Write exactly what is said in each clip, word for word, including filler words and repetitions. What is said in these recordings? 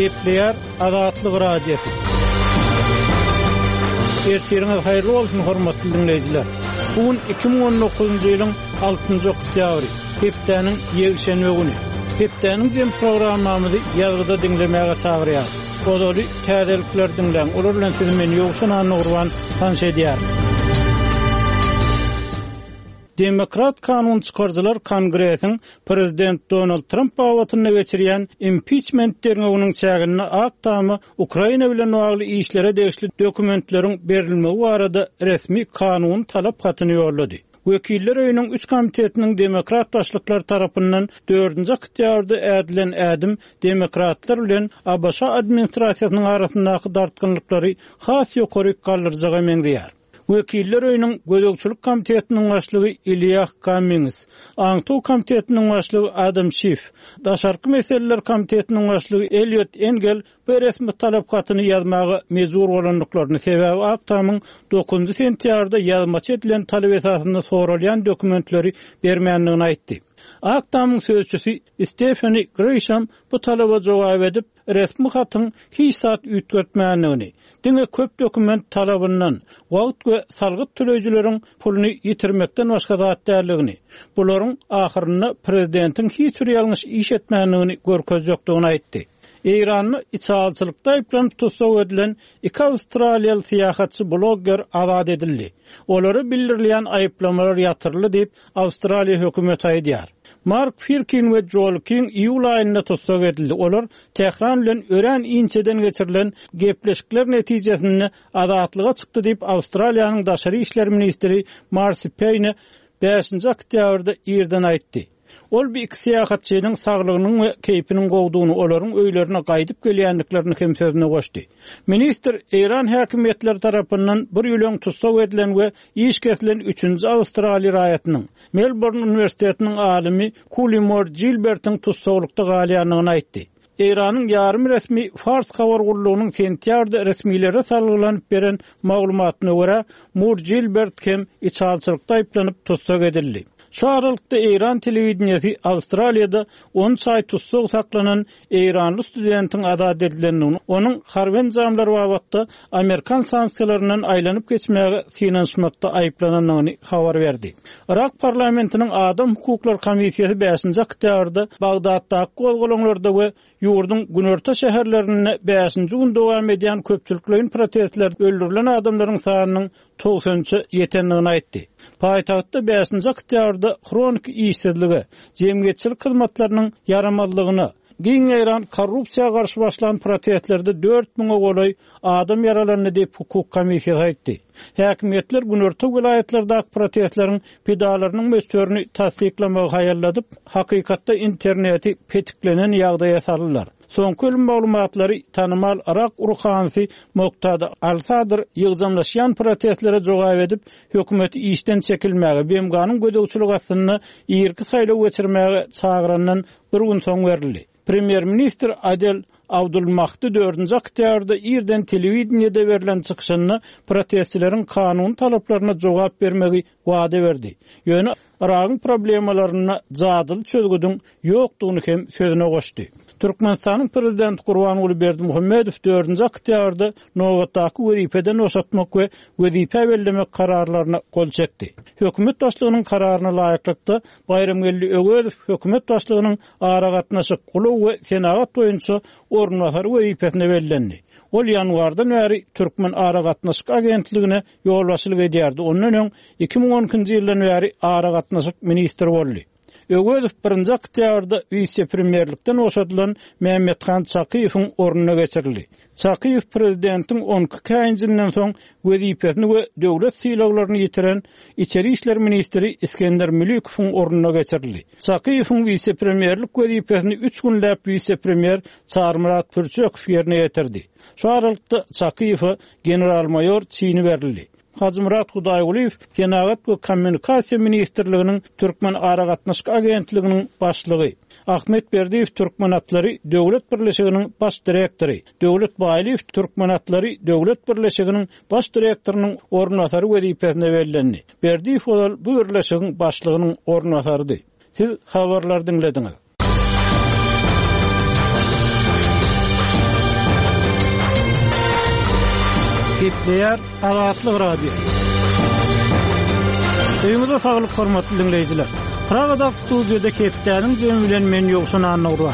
Gepleýär Azatlyk Radiosy. Ertiriňiz haýyrly bolsun hormatly dinleýjiler. Bu gün iki müň on dokuzynjy ýylyň altynjy oktýabry, hepdäniň ýekşenbe güni. Hepdäniň jem programmamyzy ýazgyda diňlemäge çagyrýar. Ozaly täzelikler diňläň. Olar bilen sizi men Ýowşan Annagurban tanyş edýär. Demokrat kanun çykardylar Kongresiň Prezident Donald Trump babatynda geçirýän impeachment derňewiniň çäginde Ak Tama Ukraina bilen bagly işlere degişli dokumentleriň berilmegi barada resmi kanun talap hatyny ýollady. Wekiller öýüniň üç komitetiniň demokrat başlyklar tarapyndan dördünji oktýabrda ädilen ädim demokratlar bilen A B Ş administrasiýasynyň arasyndaky dartgynlyklary has ýokary galdyrjaga meňzeýär. Wekiller öýüniň gözegçilik komitetiniň başlygy Ilýah Cummings, Aňtaw komitetiniň başlygy Adam Schiff, Daşarky meseleler komitetiniň başlygy Eliot Engel bu resmi talap hatyny ýazmaga mejbur bolandyklaryny, sebäbi Ak Tamyň dokuzynjy sentýabrda ýazmaça edilen talap esasynda soralýan dokumentleri bermändigini aýtdy. Ak Tamyň sözçüsi Stephanie Grisham bu talaba jogap edip, resmi hatyň hiç zat üýtgetmändigini, diňe köp dokument talabyndan, wagt we salgyt töleýjileriň puluny ýitirmekden başga zat däldigini, bularyň ahyrynda prezidentiň hiç bir ýalňyş iş etmändigini görkezjekdigini aýtdy. Eýranda içalçylykda aýyplanyp tussag edilen iki Awstraliýaly syýahatçy blogger azat edildi. Olara bildirilýän aýyplamalar ýatyryldy diýip Awstraliýa hökümeti aýdýar. Mark Firkin we Joel King iýul aýynda tussag edildi. Olar Tehran bilen örän inçeden geçirilen gepleşikler netijesinde azatlyga çykdy diýip Awstraliýanyň daşary işler ministri Marcy Payne bäşinji oktýabrda irden aýtdy. Ol bir iki syýahatçynyň saglygynyň we keýpiniň gowdugyny, olaryň öýlerine gaýdyp gelýändiklerini hem sözüne goşdy. Ministr Eýran häkimiýetleri tarapyndan bir ýyl tussag edilen we iş kesilen üçünji Awstraliýa raýatynyň Melbourne Uniwersitetiniň alymy Kuli Moore Gilbertiň tussaglykda galýandygyny aýtdy. Eýranyň ýarym resmi Fars habar gullugynyň sentýabrda resmilere salgylanyp beren maglumatyna görä, Moore Gilbert hem içalçylykda aýyplanyp tussag edildi. Şu aralykda Eýran telewideniýesi Awstraliýada on aý tussag saklanan Eýranly studentiň azat edilendigini, onuň harby enjamlar babatda Amerikan sanksiýalaryndan aýlanyp geçmäge synanyşmakda aýyplanandygyny habar berdi. Irak parlamentiniň Adam hukuklary komissiýasy bäşinji oktýabrda Bagdatdaky gozgalaňlarda we ýurduň günorta şäherlerinde bäşinji gün dowam edýän köpçülikleýin protestler öldürilen adamlaryň sanynyň togsan üçe ýetendigini aýtdy. Paýtagtda bäşinji oktýabrda hroniki işsizlige, jemgyýetçilik hyzmatlarynyň ýaramazlygyna, giň ýaýran korrupsiýa garşy başlan protestlerde dört müňe golaý adam ýaralandy diýip hukuk komissiýasy aýtdy. Häkimiýetler günorta welaýatlardaky protestleriň pidalarynyň möçberini tassyklamagy haýalladyp, hakykatda interneti petiklenen ýagdaýa saldylar. Soňky ölüm maglumatlary tanymal Irak urhanysy Moktada Al-Sadr ýygjamlaşýan protestlere jogap edip, hökümeti işden çekilmäge, B M G-nyň gözegçilik astynda irki saýlaw geçirmäge çagyrandan bir gün soň berildi. Premýer-ministr Adel Abdulmahdi dördünji oktýabrda irden telewideniýede berlen çykyşynda protestçileriň kanun talaplaryna jogap bermegi wada berdi. Ýöne Iragyň problemalarynda jadyly çözgüdiň ýokdugyny hem sözüne goşdy. Türkmenistanyň prezidenti Gurbanguly Berdimuhamedow dördünji oktýabrda nobatdaky wezipeden boşatmak we wezipe bellemek kararlaryna gol çekdi. Hökümet başlygynyň kararyna laýyklykda Baýramgeldi Öwezow hökümet başlygynyň aragatnaşyk, ulag we senagat boýunça orunbasary wezipesine bellendi. Ol ýanwardan bäri Türkmen aragatnaşyk agentligine ýolbaşçylyk edýärdi. Ondan öň iki müň on ikinji ýyldan bäri aragatnaşyk ministri boldy. Öwezow birinji oktýabrda wise-premýerlikden boşadylan Mehmethan Çakyýewiň ornuna geçirildi. Çakyýew prezidentiň on iki käýinjinden soň wezipesini we döwlet sylaglaryny ýitiren Içeri işler ministri Iskender Mülikowyň ornuna geçirildi. Çakyýewiň wise-premýerlik wezipesini üç günläp wise-premýer Çarmyrat Pürçekow ýerine ýetirdi. Şu aralykda Çakyýewe general-maýor çini berildi. Hajymyrat Hudaýgulyýew Senagat we Kommunikasiýa Ministrliginiň Türkmen Aragatnaşyk Agentliginiň başlygy, Ahmet Berdiýew Türkmen Atlary Döwlet Birleşiginiň baş direktory, Döwlet Baýlyýew Türkmen Atlary Döwlet Birleşiginiň baş direktorynyň orunbasary wezipesine bellendi. Berdiýew ozal bu birleşigiň başlygynyň orunbasarydy. Siz habarlar diňlediňiz. Gepleýär Azatlyk Radio. Öýüňize saglyk hormatly dinleýjiler. Pragada studiýada hepdäniň jemi bilen men Ýowşan Annurwa.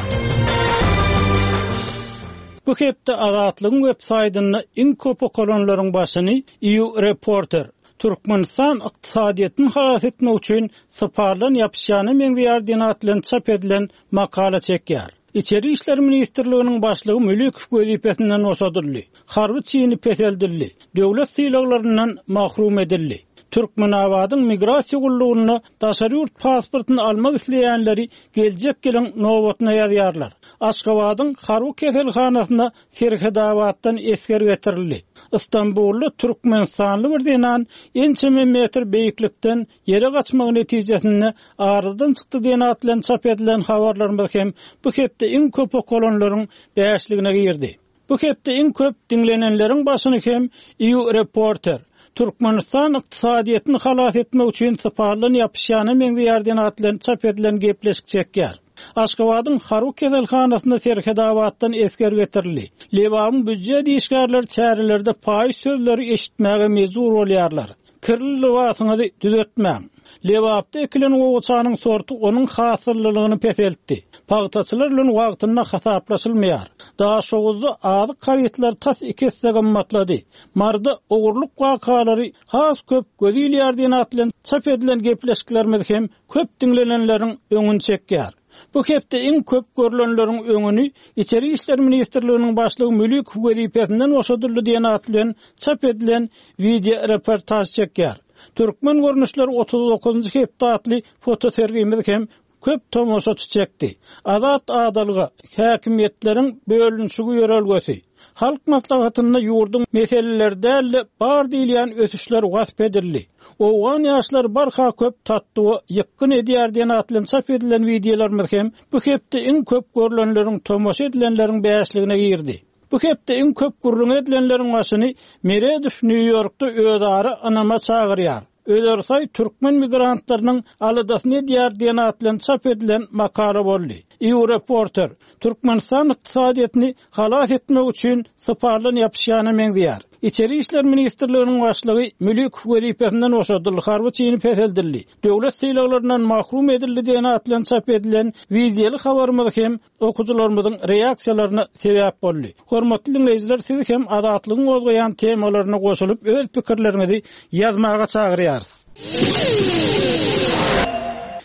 Bu hepde Azatlygyň web saýtynda iň köp okalanlaryň başyny E U Reporter Türkmenistan ykdysadyýetini halas etmek üçin syparlan ýapyşýany meňzeýär diýen at bilen çap edilen makala çekýär. İçeri İşler Ministrliginiň başlygy Mülikow wezipesinden boşadyldy. Harby çini peseldildi. Döwlet sylaglaryndan mahrum edildi. Türkmenabadyň migrasiýa gullugyna daşary ýurt pasportyny almak isleýänleri geljek ýylyň nobatyna ýazýarlar. Aşgabadyň harby keselhanasyna Serhedabatdan esger getirildi. İstanbulda Türkmenistanly bir zenan ençeme metr beýiklikden ýere gaçmagy netijesinde aradan çykdy diýen at bilen çap edilen habarlarymyz hem bu hepde iň köp okalanlaryň bäşligine girdi. Bu hepde iň köp diňlenenleriň başyny hem E U Reporter Türkmenistan ykdysadyýetini halas etmek üçin syparlan ýapyşýany meňzeýär diýen at bilen çap edilen gepleşik çekýär. Aşgabadyň harby keselhanasyna Serhedabatdan esger getirildi. Lebabyň büdjet işgärleri çärelerde paýyş sözleri eşitmäge mejbur bolýarlar. Kirli lybasyňyzy düzetmäň. Lebapda ekilen gowaçanyň sorty onuň hasyllylygyny peseltdi. Pagtaçylar bilen wagtynda hasaplaşylmaýar. Daşoguzda azyk harytlary tas iki esse gymmatlady. Marda ogurlyk wakalary has köp göz ilýär diýen at bilen çap edilen gepleşiklerimiz hem köp diňlenenleriň öňüni çekýär. Bu hepde iň köp görülenleriň öňüni İçeri İşler Ministrliginiň başlygy Mülikow wezipesinden boşadyldy diýen at bilen çap edilen video reportaj çekýär. Türkmen görnüşleri otuz dokuzunjy hepde atly fotosergimiz hem köp tomaşaçy çekdi. Azat adalga, häkimiýetleriň bölünişigi ýörelgesi. Halk maslahatynda ýurduň meseleleri däl-de bar diýilýän ösüşler wasp edildi. Owgan ýaşlar barha köp tatduwa ýykgyn edýär diýen at bilen çap edilen wideolarymyz hem bu hepde iň köp görülenleriň tomaşa edilenleriň bäşligine girdi. Bu hepde iň köp gürrüň edilenleriň başyny Meredow Nýu-Ýorkda özara ynama çagyrýar. Özersaý türkmen migrantlarynyň aladasyny edýär diýen at bilen çap edilen makala boldy. E U Reporter Türkmenistan ykdysadyýetini halas etmek üçin syparlan ýapyşýana meňzeýär. İçeri İşler Ministrliginiň başlygy Mülikow wezipesinden boşadyldy, harby çini peseldildi. Döwlet sylaglaryndan mahrum edildi diýen at bilen çap edilen wideoly habarymyz hem okuwçylarymyzyň reaksiýalaryna sebäp boldy. Hormatly dinleýjiler, siz hem Azatlygyň gozgaýan temalaryna goşulyp öz pikirleriňizi ýazmaga çagyrýarys.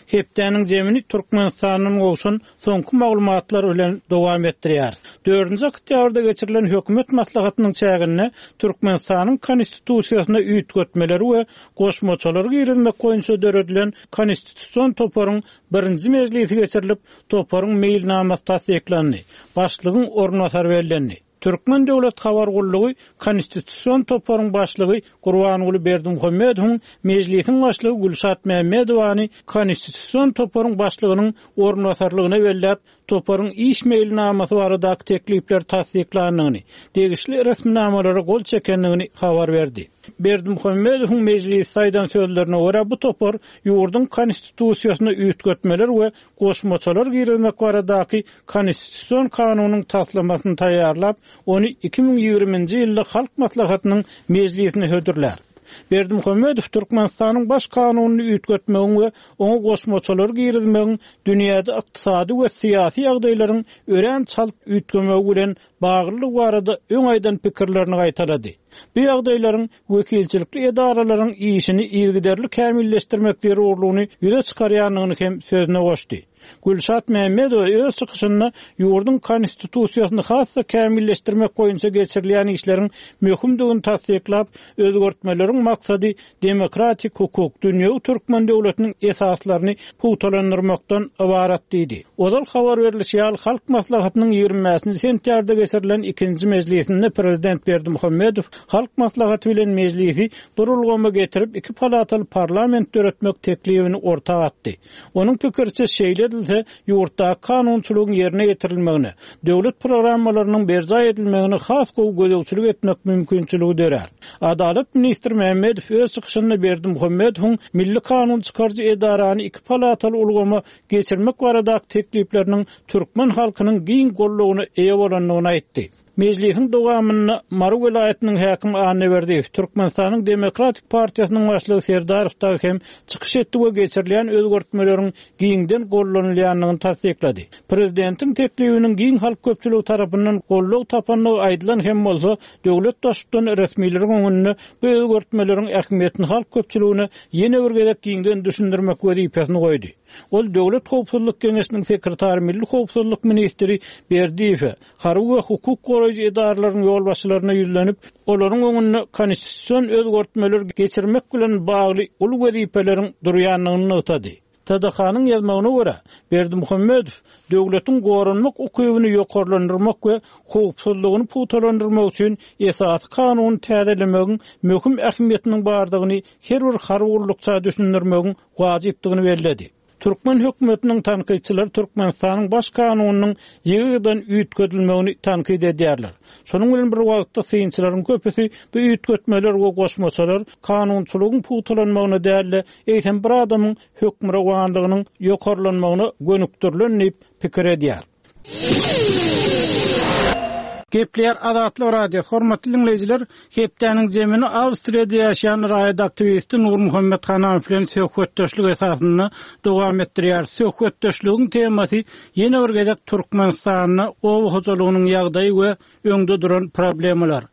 Hepdäniň jemini Türkmenistanyň gowşan soňky maglumatlar bilen dowam etdirýär. Dördünji oktýabrda geçirilen hökümet maslahatynyň çäginde Türkmenistanyň konstitusiýasyna üýtgetmeleri we goşmaçalary girizmek boýunça döredilen konstitusion toparyň birinji mejlisi geçirilip, toparyň meýilnamasy tassyklandy. Başlygyň orunbasary bellendi. Türkmen Döwlet Habar Gullugy Konstitusion toparyň başlygy Gurbanguly Berdimuhamedowyň mejlisiň başlygy Gülşat Mämmedowany Konstitusion toparyň başlygynyň orunbasarlygyna belläp, toparyň iş meýilnamasy baradaky teklipler tassyklandygyny, degişli resminamalara gol çekendigini habar berdi. Berdimuhamedowyň mejlis saýdan sözlerine görä bu topar ýurduň konstitusiýasyna üýtgetmeler we goşmaçalar girizmek baradaky konstitusion kanunyň taslamasyny taýýarlap, ony iki müň ýigriminji ýylda Halk Maslahatynyň mejlisine hödürlär. Berdimuhamedow Türkmenistanyň baş kanunyny üýtgetmegiň we oňa goşmaçalar girizmegiň dünýäde ykdysady we syýasy ýagdaýlaryň örän çalt üýtgemegi bilen baglylygy barada öň aýdan pikirlerini gaýtalady. Bu ýagdaýlaryň wekilçilikli edaralaryň işini yzygiderli kämilleşdirmek zerurlygyny ýüze çykarýandygyny hem sözüne goşdy. Gülşat Mämmedowa öz çykyşynda ýurduň konstitusiýasyny has-da kämilleşdirmek boýunça geçirilýän işleriň möhümdigini tassyklap, özgertmeleriň maksady demokratik hukuk, dünýewi türkmen döwletiniň esaslaryny pugtalandyrmakdan ybarat diýdi. Ozal habar berilişi ýaly Halk Maslahatynyň ýigrimi bäşinji sentýabrda geçirilen ikinji mejlisinde Prezident Berdimuhamedow Halk Maslahaty bilen mejlisi bir ulgama getirip iki palataly parlament döretmek teklibini orta atdy. Onuň pikirçe şeýle edilse, ýurtda kanunçylygyň ýerine ýetirilmegine, döwlet programmalarynyň berjaý edilmegine has gowy gözegçilik etmek mümkinçiligi dörär. Adalat ministri Mehmedow öz çykyşynda Berdimuhamedowyň milli kanun çykaryjy edarany iki palataly ulgama geçirmek baradaky teklipleriniň türkmen halkynyň giň gollugyna eýe bolandygyny aýtdy. Mejlisiň dowamynda Mary welaýatynyň häkimi Annaberdiýew, Türkmenistanyň Demokratik partiýasynyň başlygy Serdarow dagy hem çykyş etdi we geçirilýän özgertmeleriň giňden gollanylýandygyny tassyklady. Prezidentiň teklibiniň giň halk köpçüligi tarapyndan goldaw tapandygy aýdylan hem bolsa, döwlet baştutany resmileriň öňünde bu özgertmeleriň ähmiýetini halk köpçüligine ýene bir gezek giňden düşündirmek wezipesini goýdy. Ol Döwlet Howpsuzlyk Geňeşiniň sekretary Milli Howpsuzlyk ministri Berdiýewe, harby we hukuk goraýjy edaralaryň ýolbaşçylaryna ýüzlenip, olaryň öňünde konstitusion özgertmeler geçirmek bilen bagly uly wezipeleriň durýandygyny nygtady. T D K-nyň ýazmagyna görä, Berdimuhamedow döwletiň goranmak ukybyny ýokarlandyrmak we howpsuzlygyny pugtalandyrmak üçin esasy kanuny täzelemegiň möhüm ähmiýetiniň bardygyny her bir harby gullukça düşündirmegiň wajypdygyny belledi. Türkmen hökümetiniň tankytçylary Türkmenistanyň baş kanunynyň ýygy-ýygydan üýtgedilmegini tankyt edýärler. Şonuň bilen bir wagtda synçylaryň köpüsi bu üýtgetmeler we goşmaçalar kanunçylygyň pugtalanmagyna däl-de, eýsem bir adamyň hökmürowanlygynyň ýokarlanmagyna gönükdirilen diýip pikir edýär. Gepleýär Azatlyk Radiosy. Hormatly dinleýjiler, hepdäniň jemini Awstriýada ýaşaýan raýat aktiwisti Nurmuhammet Hananow bilen söhbetdeşlik esasynda dowam etdirýär. Söhbetdeşligiň temasy ýene bir gezek Türkmenistanda oba hojalygynyň ýagdaýy we öňde duran problemalar.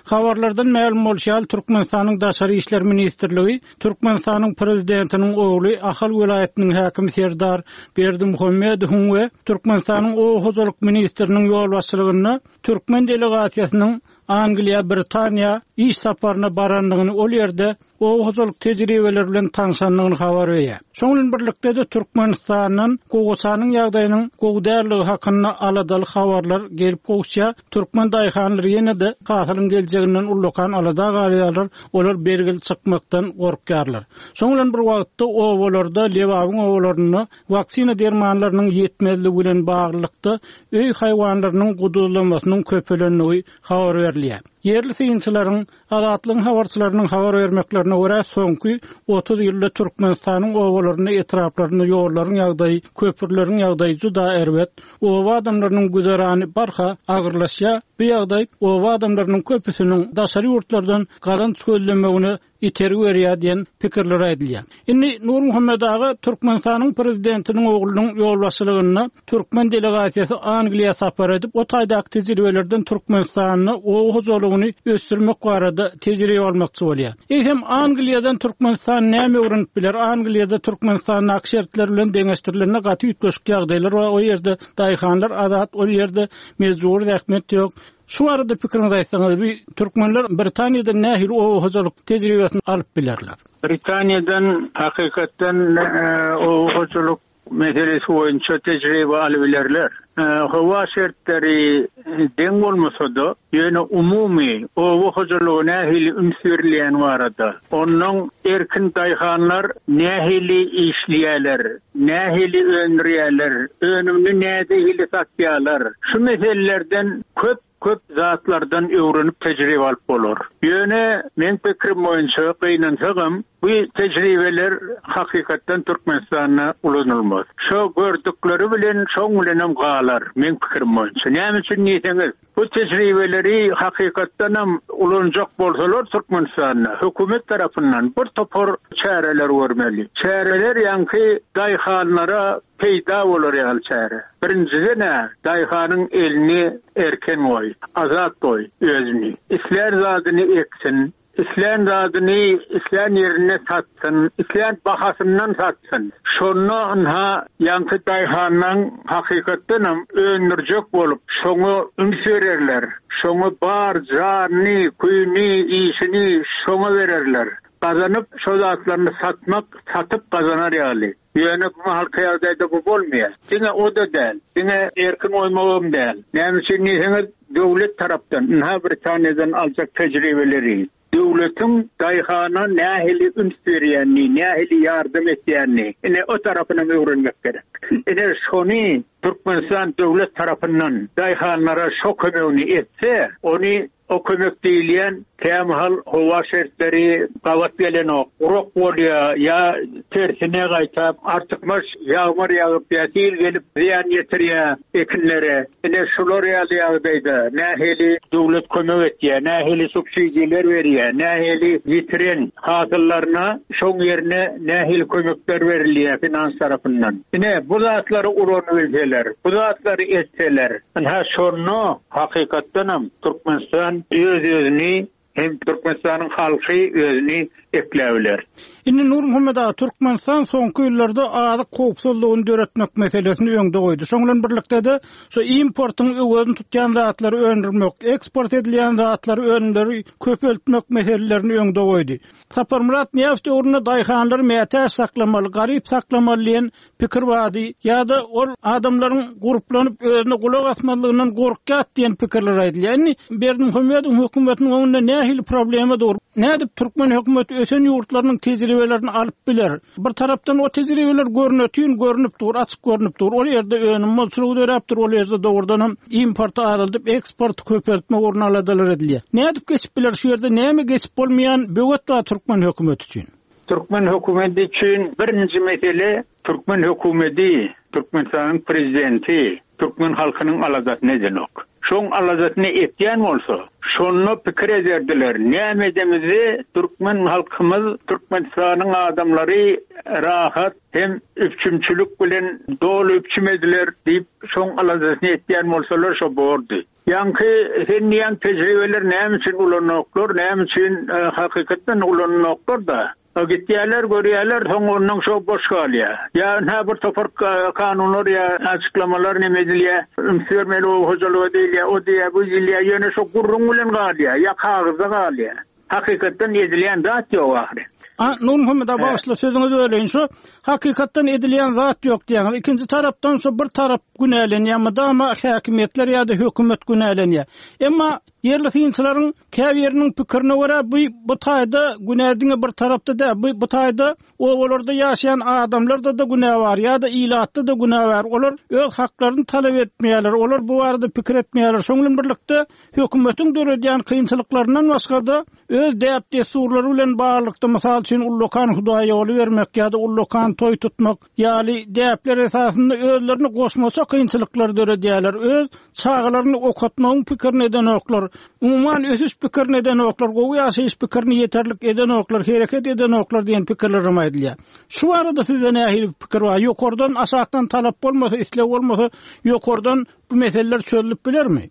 Habarlardan mälim bolşy ýaly, Türkmenistanyň Daşary işler ministrligi Türkmenistanyň prezidentiniň ogly Ahal welaýatynyň häkimi Serdar Berdimuhamedowyň we Türkmenistanyň oba hojalyk ministriniň ýolbaşçylygynda türkmen delegasiýasynyň Angliýa, Britaniýa iş saparyna barandygyny, ol ýerde oba hojalyk tejribeleri bilen tanşandygyny habar berýär. Şonuň bilen birlikde-de Türkmenistandan gowaçanyň ýagdaýynyň gowy däldigi hakynda aladaly habarlar gelip gowuşýar. Türkmen daýhanlary ýene-de hasylyň geljeginden ullakan alada galýarlar, olar bergili çykmakdan gorkýarlar. Şonuň bilen bir wagtda obalarda, Lebabyň obalarynda waksina dermanlarynyň ýetmezligi bilen baglylykda öý haýwanlarynyň guduzlamasynyň köpelendigi habar berilýär. Ýerli synçylaryň, Azatlygyň habarçylarynyň habar bermeklerine görä, soňky otuz ýylda Türkmenistanyň obalarynda, etraplarynda ýollaryň ýagdaýy, köprüleriň ýagdaýy juda erbet. Oba adamlarynyň güzerany barha agyrlaşýar. Bu ýagdaý oba adamlarynyň köpüsiniň daşary ýurtlardan gazanç gözlemegine itergi berýär diýen pikirler aýdylýar. Indi Nurmuhammet aga, Türkmenistanyň prezidentiniň oglunyň ýolbaşçylygynda türkmen delegasiýasy Angliýa sapar edip, o taýdaky tejribelerden Türkmenistanda oba hojalygyny ösdürmek barada tejribe almakçy bolýar. Eýsem Angliýadan Türkmenistan näme öwrenip biler? Angliýada Türkmenistandaky şertler bilen deňeşdirilende gaty üýtgeşik ýagdaýlar bar. O ýerde daýhanlar azat, ol ýerde mejbur zähmet ýok. Şu arada pikiriňizi aýtsaňyz, bu türkmenler Britaniýadan nähili oba hojalyk tejribesini alyp bilerler? Britaniýadan hakykatdan oba hojalyk meselesi boýunça tejribe alyp bilerler. Howa şertleri deň bolmasa-da, ýöne umumy oba hojalygy nähili üns berilýän barada, ondan erkin daýhanlar nähili işleýärler, nähili öndürýärler, önümini nähili satýarlar. Şu meselelerden köp köp zatlardan öwrenip tejribe alyp bolar. Ýöne men pikirim boýunça gynansagam, bu tejribeler hakykatdan Türkmenistanda ulanylmaz. Şo gördükleri bilen şoň bilenem galar, men pikirim boýunça. Näme üçin diýseňiz, bu tejribeleri hakykatdanam ulanjak bolsalar Türkmenistanda hökümet tarapyndan bir topar çäreler görmeli. Çäreler ýaňky daýhanlara peýda bolar ýaly çäre. Birinjiden daýhanyň elini erken goý, azat goý özüni. Islän zadyny eksin, islän zadyny islän ýerine satsyn, islän bahasyndan satsyn. Şonda ynha ýaňky daýhandan hakykatdanam öndürjek bolup, şoňa üns bererler. Şoňa bar janyny, küýüni, işini şoňa bererler. Gazanyp şo zatlaryny satmak, satyp gazanar ýaly. Ýöne bu halka ýagdaýda bu bolmaýar. Diňe o da däl, diňe erkin goýmagam däl. Näme üçin diýseňiz, döwlet tarapdan, ynha Britaniýadan aljak tejribeleri, döwletiň daýhana nähili üns berýänini, nähili ýardam etýänini, ine o tarapyny öwrenmek gerek. Ine şony Türkmenistan döwlet tarapyndan daýhanlara şo kömegini etse, ony o kömek diýilýän Kämahal howa şertleri gabat gelenok. Gurak bolýar ýa tersine gaýtap artykmaç ýagmyr ýagyp ýa sil gelip zyýan ýetirýär ekinlere. Ine şular ýaly ýagdaýda nähili döwlet kömek etýär, nähili subsidiýalar berýär, nähili ýitiren hasyllaryna şoň ýerine nähili kömekler berilýär finans tarapyndan. Ine bu zatlary ulanyp bu zatlary etseler, ine şonda hakykatdanam Türkmenistan öz-özüni hem Türkmenistanyň halky özüni ekläbiler. Indi Nurmuhammet aga Türkmenistan soňky ýyllarda azyk howpsuzlygyny döretmek meselesini öňde goýdy. Şoň bilen birlikde-de şu importyň öwezini tutýan zatlary öndürmek, eksport edilýän zatlary önümleri köpeltmek meselelerini öňde goýdy. Saparmyrat Nyýazow döwründe daýhanlary mätäç saklamaly, garyp saklamaly diýen pikir bardy ýa-da ol adamlaryň gurplanyp özüne gulak asmazlygyndan gorkýat diýen pikirler aýdylýar. Indi Berdimuhamedowyň hökümetiniň öňünde nähili problema dur? Nädip türkmen hökümeti ösen ýurtlarynyň tejribelerini alyp biler? Bir tarapdan o tejribeler görnütün görünüp dur, açyk görünüp dur. Ol ýerde önüm bolçulygy döräpdir, ol ýerde dogrudan hem importy azaldyp eksport köpeltme orun aladalar edilýär. Nädip geçip biler şu ýerde näme geçip bolmaýan böwet bar türkmen hökümeti üçin? Türkmen hökümeti üçin birinji mesele Türkmen hökümeti, Türkmenistanyň prezidenti, Türkmen halkynyň aladasyny edenok. Şoň aladasyny etýän bolsa, şonda pikir ederdiler. Näme edemizi Türkmen halkymyz, Türkmenistanyň adamlary rahat hem üpçümçilik bilen doly üpçüm ediler diýip şoň aladasyny etýän bolsalar şo bordy. Ýaňky sen diýen tejribeler näme üçin ulanoklar, näme üçin e, hakykatdan ulanoklar da. Gitýärler, görýärler, soň ondan şo boş galýar. Ýa nä bir topar kanunlar ýa açyklamalar näme edilýär? Üns bermeli o hojalyga diýilýär, o diýýär, bu diýilýär, ýöne şo gurrun bilen galýar, ýa kagyzda galýar. Hakykatdan edilýän zat ýok ahyry. A Nurmuhammet aga başla sözüňizi böleýin. Şu hakykatdan edilýän zat ýok diýýäňiz. Ikinji tarapdan şu bir tarap günälenýär, mydama häkimiýetler ýa-da hökümet günälenýär. Emma ýerli synçylaryň käbiriniň pikirine görä bu bu taýda günä diňe bir tarapda da, bu bu taýda obalarda ýaşaýan adamlarda da günä bar ýa-da ilatda da günä bar. Olar öz haklaryny talap etmeýärler. Olar bu barada pikir etmeýärler. Şoň bilen birlikde hökümetiň döredýän kynçylyklaryndan başga-da öz däp-dessurlary bilen baglylykda mysal üçin ullakan hudaý ýoly bermek ýa-da ullakan toý tutmak ýaly däpler esasynda özlerini goşmaça kynçylyklar döredýärler. Öz çagalaryny okatmagyň pikirini edenoklar, umuman ösüş pikirini edenoklar, gowy ýaşaýyş pikirini ýeterlik edenoklar, hereket edenoklar diýen pikirler hem aýdylýar. Şu barada sizde nähili pikir bar? Ýokardan aşakdan talap bolmasa, isleg bolmasa, ýokardan bu meseleler çözülip bilermi?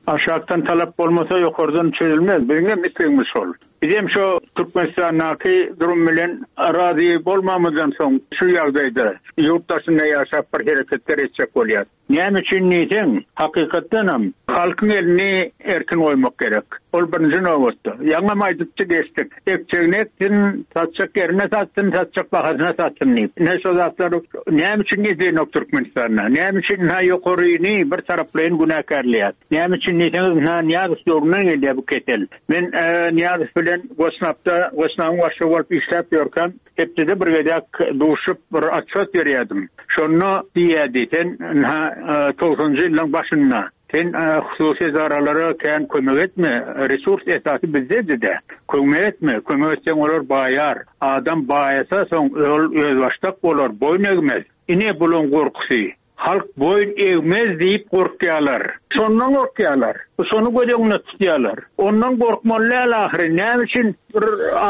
Aşakdan talap bolmasa ýokardan çözülmez. Biziň hem islegimiz şol. Bizim şu Türkmenistandaky durum bilen razy bolmamyzdan soň şu ýagdaýda ýurt daşynda ýaşap bir hereketler etjek bolýar. Näme üçin diýseň, hakykatdanam halkyň elini erkin goýmak gerek. Ol birinji nobatda. Ýaňam aýdypdy geçdik. Ekjegini eksin, satjak ýerine satsyn, satjak bahasyna satsyn diýip. Ne şo zatlar näme üçin edenok Türkmenistanda? Näme üçin ha ýokaryny bir taraplaýyn günäkärleýär? Näme üçin diýseňiz, ha Nyýazow döwründen gelýär bu kesel. Men e, Nyýazow bilen Gosnapda, Gosnabyň başlygy bolup işläp ýörkäm, hepdede bir gezek duşup bir atçot berýärdim. Şonda diýýärdi, sen ha togsanjy ýyllaryň başynda sen e, hususy edaralara kän kömek etme, resurs esasy bizdedi-de. Kömek etme, kömek etseň olar baýar. Adam baýasa soň ol özbaşdak bolar, boýun egmez. Ine bulan gorkusy. Halk boýun egmez diýip gorkýarlar. Şondan gorkýarlar. Şonu göz öňüne tutýarlar. Ondan gorkmaly däl ahyry. Näme üçin bir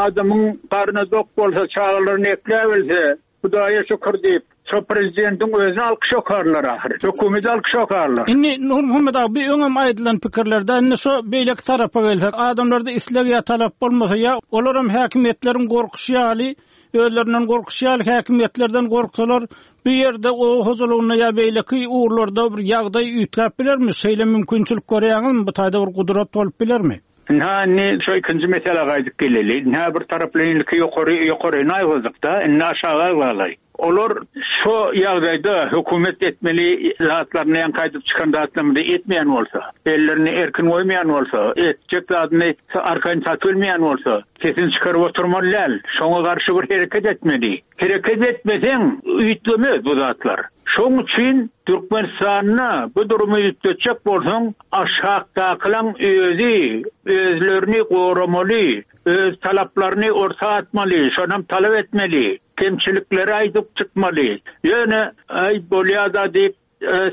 adamyň garny dok bolsa, çagalaryny ekläbilse, Hudaýa şükür diýip, şo prezidentiň özüne alkyş okarlar ahyry. Hökümeti alkyş okarlar. Indi Nurmuhammet aga, bir öňem aýdylan pikirlerde indi şo beýleki tarapa gelsek, adamlarda isleg ýa talap bolmasa ýa olaram häkimiýetleriň gorkuşy ýaly, özlerinden gorkuşy ýaly häkimiýetlerden gorksalar, bu ýerde o hojalygynda ýa beýleki ugurlarda bir ýagdaý üýtgäp bilermi? Şeýle mümkinçilik görýäňizmi? Bu taýda bir gudrat bolup bilermi? Ynha indi şu ikinji mesele gaýdyp geleli. Ynha bir taraplaýyn ilki ýokary ýokaryny aýgyzdyk-da, indi aşaga galay. Olar şu ýagdaýda hökümet etmeli zatlaryny ýa gaýdyp çykan zatlaryny etmeýän bolsa, ellerini erkin goýmaýan bolsa, etjek zadyny arkaýyn satyp bolsa, sesini çykaryp oturmaly däl. Şoňa garşy bir hereket etmeli. Hereket etmeseň üýtgemez bu zatlar. Şoň üçin Türkmenistanda bu durumy üýtgetjek bolsaň, aşakdakylaň özi özlerini goramaly, öz talaplaryny orta atmaly, şonam talap etmeli, kemçilikleri aýdyp çykmaly. Ýöne aý bolýa-da diýip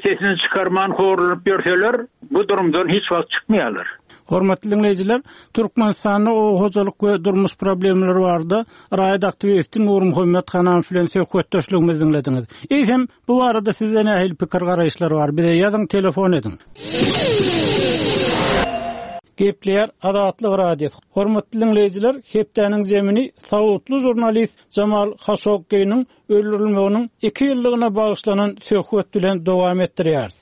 sesini çykarman horlanyp ýörseler, bu durumdan hiç wagt çykmaýarlar. Hormatly dinleýjiler, Türkmenistanda oba hojalyk we durmuş problemleri barada raýat aktiwisti Nurmuhammet Hanamow bilen söhbetdeşligimizi dinlediňiz. Eýsem, bu barada sizde nähili pikir garaýyşlar bar? Bize ýazyň, telefon ediň. Gepleýär Azatlyk Radiosy. Hormatly dinleýjiler, hepdäniň zemini saudly žurnalist Jamal Haşogginiň öldürilmeginiň iki ýyllygyna bagyşlanan söhbet bilen dowam etdirýäris.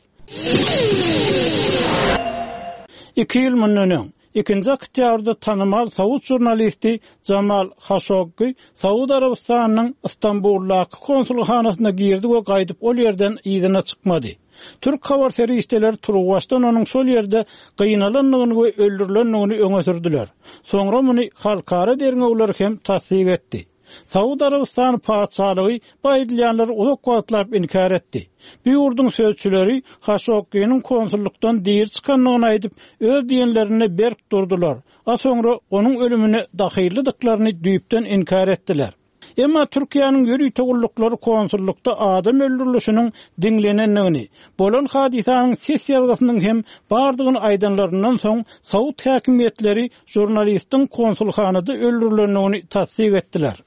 Iki ýyl mundan öň, ikinji oktýabrda tanymal saud žurnalisti Jamal Haşoggi Saud Arabystanynyň Istanbuldaky konsulhanasyna girdi we gaýdyp ol ýerden yzyna çykmady. Türk habar serişdeleri turuwbaşdan onuň şol ýerde gynalandygyny we öldürilendigini öňe sürdüler. Soňra muny halkara derňewleri hem tassyk etdi. Saud Arabystany patyşalygy bu aýdylýanlary uzak wagtlap inkär etdi. Bu ýurduň sözçüleri Haşogginiň konsullukdan diri çykandygyny aýdyp, öz diýenlerinde berk durdular. A soňra onuň ölümine dahyllydyklaryny düýpden inkär etdiler. Emma Türkiýäniň ýörite gulluklary konsullukda adam öldürilişiniň diňlenendigini, bolan hadysanyň ses ýazgysynyň hem bardygyny aýdanlaryndan soň Saud häkimiýetleri žurnalistiň konsulhanada öldürilendigini tassyk etdiler.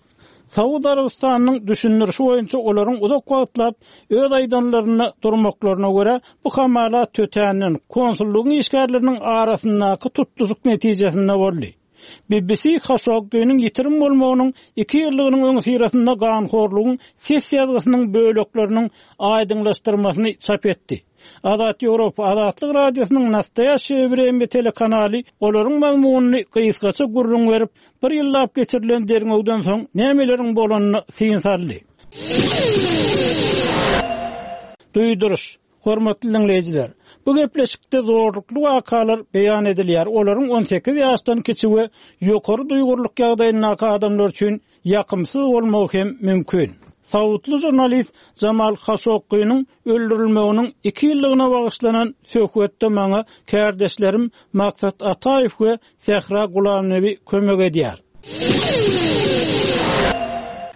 Saud Arabystanynyň düşündirişi boýunça olaryň uzak wagtlap öz aýdanlarynda durmaklaryna görä bu hamala tötänden konsullygyň işgärleriniň arasyndaky tutluşyk netijesinde boldy. B B C Haşogginiň ýitirim bolmagynyň iki ýyllygynyň öňüsyrasynda ganhorlugyň ses ýazgysynyň bölekleriniň aýdyňlaşdyrmasyny çap etdi. Azat Ýewropa Azatlyk Radiosynyň Nastoýaşşeýe Wremýa telekanaly olaryň mazmunyny gysgaça gürrüň berip, bir ýyllap geçirilen derňewden soň nämeleriň bolanyny syn saldy. Duýduryş. Hormatly dinleýjiler, bu gepleşikde zorlukly wakalar beýan edilýär. Olaryň on sekiz ýaşdan kiçi we ýokary duýgurlyk ýagdaýyndaky adamlar üçin ýakymsyz bolmagy hem mümkin. Saudly žurnalist Jamal Haşogginiň öldürilmeginiň iki ýyllygyna bagyşlanan söhbetde maňa kärdeşlerim Maksat Ataýew we Sähra Gulamnebi kömek edýär.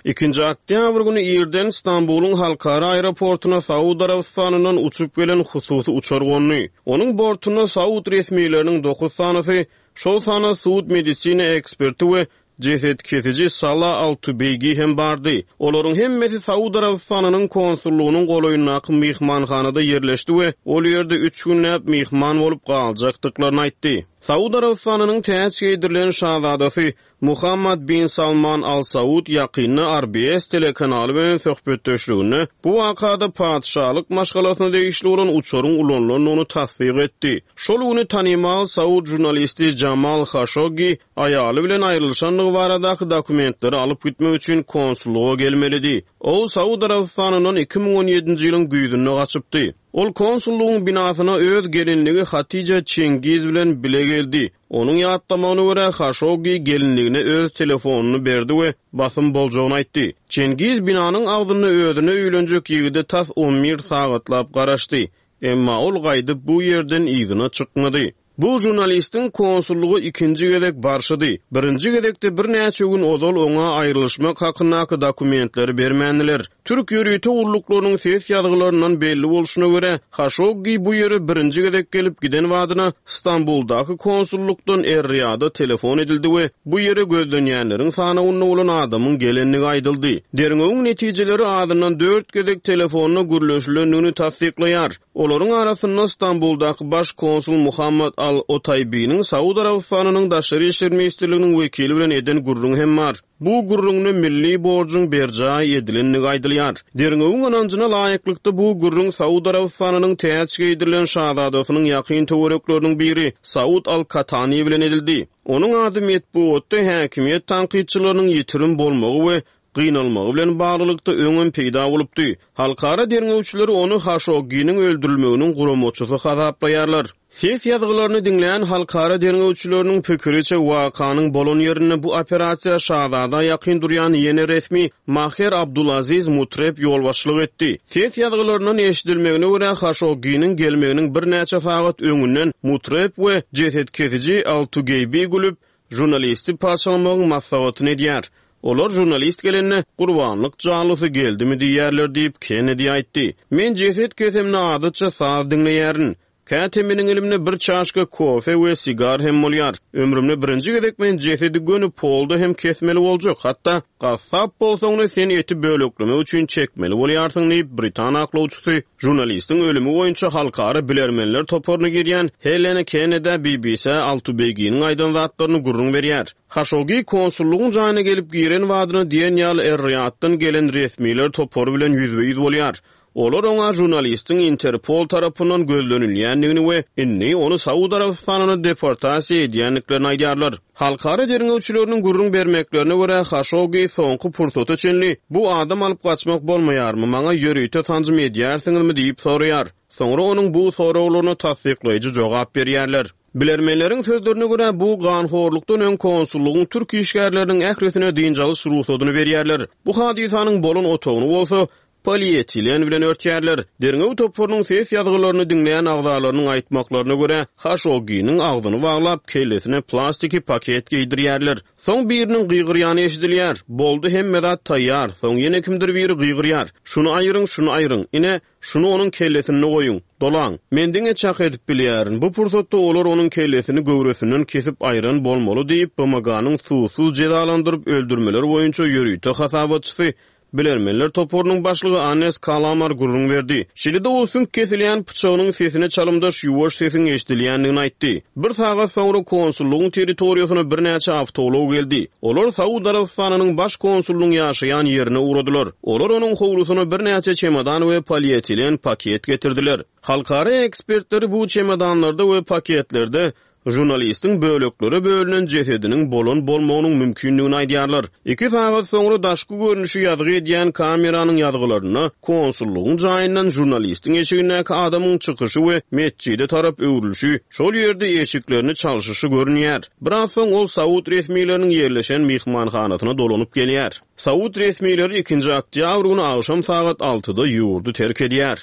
Ikinji oktýabr güni irden Istanbulyň halkara aeroportuna Saud Arabystanyndan uçup gelen hususy uçar gondy. Onuň bortunda Saud resmileriniň dokuz sanysy, şol sanda sud medisina eksperti we ceset kesici Salah Al-Tubeýgi hem bardy. Olaryň hemmesi Saud Arabystanynyň konsullygynyň golaýyndaky myhmanhanada ýerleşdi we ol ýerde üç günläp myhman bolup galjakdyklaryny aýtdy. Saud Arabystanynyň täç geýdirilen şazadasy Muhammad bin Salman Al Saud ýakynda R B S telekanaly bilen söhbetdeşliginde bu wakada patyşalyk maşgalasyna degişli bolan uçaryň ulanylandygyny tassyk etdi. Şol güni tanymal Saud žurnalisti Jamal Haşoggi aýaly bilen aýrylyşandygy baradaky dokumentleri alyp gitmek üçin konsullyga gelmelidi. Ol Saud Arabystanyndan iki müň on ýedinji ýylyň güýzünde gaçypdy. Ol konsullygyň binasyna öz gelinligi Hatija Çengiz bilen bile geldi. Onuň ýatlamagyna görä Haşoggi gelinligine öz telefonyny berdi we basym boljagyny aýtdy. Çengiz binanyň agzynda özüne öýlenjek ýigide tas on bir sagatlap garaşdy. Emma ol gaýdyp bu ýerden yzyna çykmady. Bu žurnalistiň konsullygy ikinji gezek barşydy. Birinji gezekde birnäçe gün ozal oňa aýrylyşmak hakyndaky dokumentleri bermändiler. Türk ýörite gulluklarynyň ses ýazgylaryndan belli bolşuna görä Haşoggi bu ýere birinji gezek gelip giden wadyna Istanbuldaky konsullukdan Er-Riýada telefon edildi we bu ýere gözlenýänleriň sanawynda bolan adamyň gelendigi aýdyldy. Derňewiň netijeleri azyndan dört gezek telefonda gürleşilendigini tassyklaýar. Olaryň arasynda Istanbuldaky baş konsul Muhammad Al-Otaýbiniň Saud Arabystanynyň Daşary işler ministrliginiň wekili bilen eden gürrüňi hem bar. Bu gürrüňde milli borjuň berjaý edilendigi aýdylýar. Derňewiň ynanjyna laýyklykda bu gürrüň Saud Arabystanynyň täç geýdirilen şazadasynyň ýakyn töwerekleriniň biri Saud Al-Katani bilen edildi. Onuň ady metbugatda häkimiýet tankytçylarynyň ýitirim bolmagy we gynalmagy bilen baglylykda öňem peýda bolupdy. Halkara derňewçileri ony Haşogginiň öldürilmeginiň guramaçysy hasaplaýarlar. Ses ýazgylaryny diňlän halkara derňewçileriniň pikiriçe, wakanyň bolan ýerinde bu operasiýa şazada ýakyn durýan ýene resmi Maher Abdulaziz Mutreb ýolbaşçylyk etdi. Ses ýazgylaryndan eşidilmegine görä, Haşogginiň gelmeginiň birnäçe sagat öňünden Mutreb we jeset kesiji Al-Tugeýbi gülüp, žurnalisti parçalamagyň maslahatyny edýär. Olar žurnalist gelende, Gurbanlyk janlysy geldimi diýýärler diýip, Kennedi aýtdy. Men jeset kesemde adatça saz diňleýärin. Käte meniň elimde bir çaşka kofe we sigar hem bolýar. Ömrümde birinji gezek men jesedi göni polda hem kesmeli boljak, hatda gassap bolsaň-da sen eti böleklemek üçin çekmeli bolýarsyň diýip, britan aklawçysy žurnalistiň ölümi boýunça halkara bilermenler toparyna girýän Helena Kennedä B B C Altubeýginiň aýdan zatlaryny gürrüň berýär. Haşogi konsullygyň jaýyna gelip giren badyna diýen ýaly Er-Riýaddan gelen resmiler topary bilen ýüzbe-ýüz bolýar. Olar oňa žurnalistiň Interpol tarapyndan gözlenilýändigini we indi ony Saud Arabystanyna deportasiýa edýändiklerini aýdýarlar. Halkara derňewçileriniň gürrüň bermeklerine görä, Haşogi soňky pursata çenli bu adam alyp gaçmak bolmaýarmy, maňa ýörite sanjym edýärsiňizmi diýip soraýar. Soňra onuň bu soraglaryna tassyklaýjy jogap berýärler. Bilermenleriň sözlerine görä, bu ganhorlukdan öň konsullygyň türk işgärleriniň ählisine dynç alyş rugsadyny berýärler. Bu hadysanyň bolan otagyny bolsa polietilen bilen örtýärler. Derňew toparynyň ses ýazgylaryny diňleýän agzalarynyň aýtmaklaryna görä, Haşogginiň agzyny baglap, kellesine plastiki paket geýdirýärler. Soň biriniň gygyrýany eşidilýär. Boldy, hemme zat taýýar. Soň ýene kimdir biri gygyrýar. Şuny aýyryň, şuny aýyryň. Ine, şuny onuň kellesinde goýuň. Dolaň. Men diňe çak edip bilýärin. Bu pursatda olar onuň kellesini göwresinden kesip aýran bolmaly diýip, B M G-nyň sudsuz jezalandyryp öldürmeler boýunça ýörite hasabatçysy bilermenler toparynyň başlygy Annes Kalamar gürrüň berdi. Şeýle-de ol süňk kesilýän pyçagynyň sesine çalymdaş ýuwaş sesiň eşidilýändigini aýtdy. Bir sagat soňra konsullygyň territoriýasyna birnäçe awtoulag geldi. Olar Saud Arabystanynyň baş konsulunyň ýaşaýan ýerine ugradylar. Olar onuň howlusyna birnäçe çemodan we polietilen paket getirdiler. Halkara ekspertleri bu çemodanlarda we paketlerde žurnalistiň böleklere bölünen jesediniň bolan bolmagynyň mümkindigini aýdýarlar. Iki sagat soňra daşky görnüşi ýazgy edýän kameranyň ýazgylarynda konsullygyň jaýyndan žurnalistiň eşigindäki adamyň çykyşy we metjide tarap öwrülişi, şol ýerde eşiklerini çalşyşy görünýär. Biraz soň ol Saud resmileriniň ýerleşen myhmanhanasyna dolanyp gelýär. Saud resmileri ikinji oktýabr güni agşam sagat altyda ýurdy terk edýär.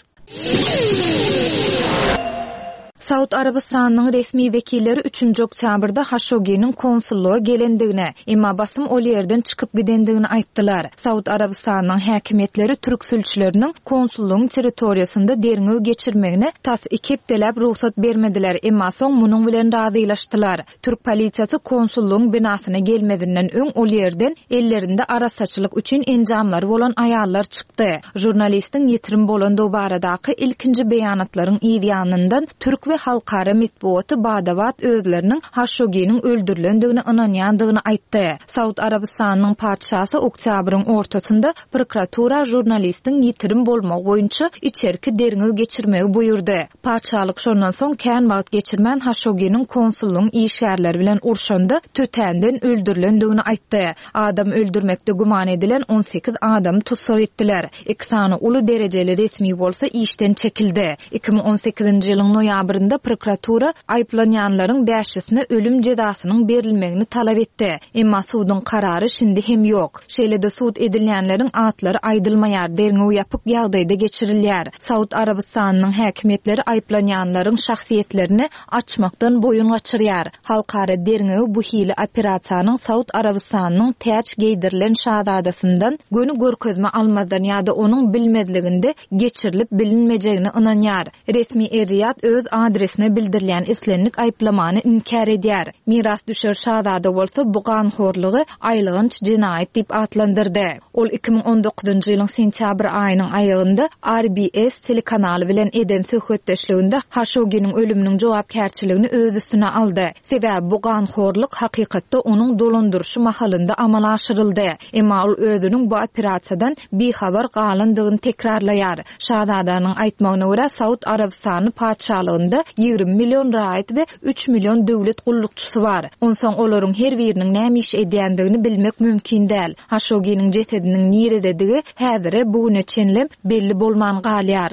Saud Arabystanynyň resmi wekilleri üçünji oktýabrda Haşogginiň konsullyga gelendigini, emma basym ol ýerden çykyp gidendigini aýtdylar. Saud Arabystanynyň häkimiýetleri türk sülçüleriniň konsullygyň territoriýasynda derňew geçirmegine tas iki hepdeläp rugsat bermediler, emma soň munuň bilen razylaşdylar. Türk polisiýasy konsullygyň binasyna gelmezinden öň ol ýerden ellerinde arassaçylyk üçin enjamlary bolan aýallar çykdy. Žurnalistiň ýitirim bolandygy baradaky ilkinji beýanatlaryň yz ýanyndan türk we halkara metbugaty bada-bat özleriniň Haşogginiň öldürilendigini ynanýandygyny aýtdy. Saud Arabystanynyň patyşasy oktýabryň ortasynda prokuratura žurnalistiň ýitirim bolmagy boýunça içerki derňew geçirmegi buýurdy. Patyşalyk şondan soň kän wagt geçirmän Haşogginiň konsullygyň işgärleri bilen urşanda tötänden öldürilendigini aýtdy. Adam öldürmekde güman edilen on sekiz adamy tussag etdiler. Iki sany uly derejeli resmi bolsa işden çekildi. Iki müň on sekizinji ýylyň noýabrynda prokuratura aýyplanýanlaryň bäşisine ölüm jezasynyň berilmegini talap etdi. Emma suduň karary şindi hem ýok. Şeýle-de sud edilýänleriň atlary aýdylmaýar, derňew ýapyk ýagdaýda geçirilýär. Saud Arabystanynyň häkimiýetleri aýyplanýanlaryň şahsyýetlerini açmakdan boýun gaçyrýar. Halkara derňewi bu hili operasiýanyň Saud Arabystanynyň täç geýdirilen şazadasyndan göni görkezme almazdan ýa-da onuň bilmezliginde geçirilip bilinmejegini ynanýar. Resmi Er-Riyad öz adresine bildirilýän islendik aýyplamany inkär edýär. Miras düşer şazada bolsa bu ganhorlygy aýylganç jenaýat diýip atlandyrdy. Ol iki müň on dokuzynjy ýylyň sentýabr aýynyň aýagynda R B S telekanaly bilen eden söhbetdeşliginde Haşogginiň ölüminiň jogapkärçiligini öz üstüne aldy. Sebäbi bu ganhorlyk hakykatda onuň dolandyryşy mahalynda amala aşyryldy. Emma ol özüniň bu operasiýadan bihabar galandygyny tekrarlaýar. Şazadanyň aýtmagyna görä Saud Arabystany patyşalygynda ýigrimi million raýat we üç million döwlet gullukçysy bar. Onsoň olaryň her biriniň näme iş edýändigini bilmek mümkin däl. Haşogginiň jesediniň nirededigi häzire bu güne çenlem belli bolman galýar.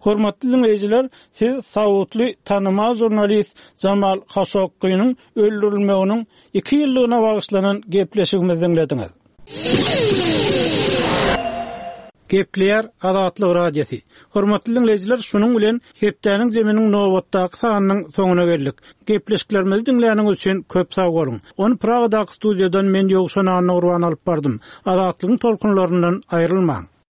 Hormatly diňleýjiler, siz saudly tanymal žurnalist Jamal Haşogginiň öldürilmeginiň iki ýyllygyna bagyşlanan gepleşigimizi diňlediňiz. Gepleýär Azatlyk Radiosy. Hormatly diňleýjiler, şunuň bilen hepdäniň zeminiň nobatdaky sanynyň soňuna geldik. Gepleşiklerimizi diňläniňiz üçin köp sag boluň. Ony Pragadaky studiýadan men Ýowşan Annagurban alyp bardym. Azatlygyň tolkunlaryndan aýrylmaň.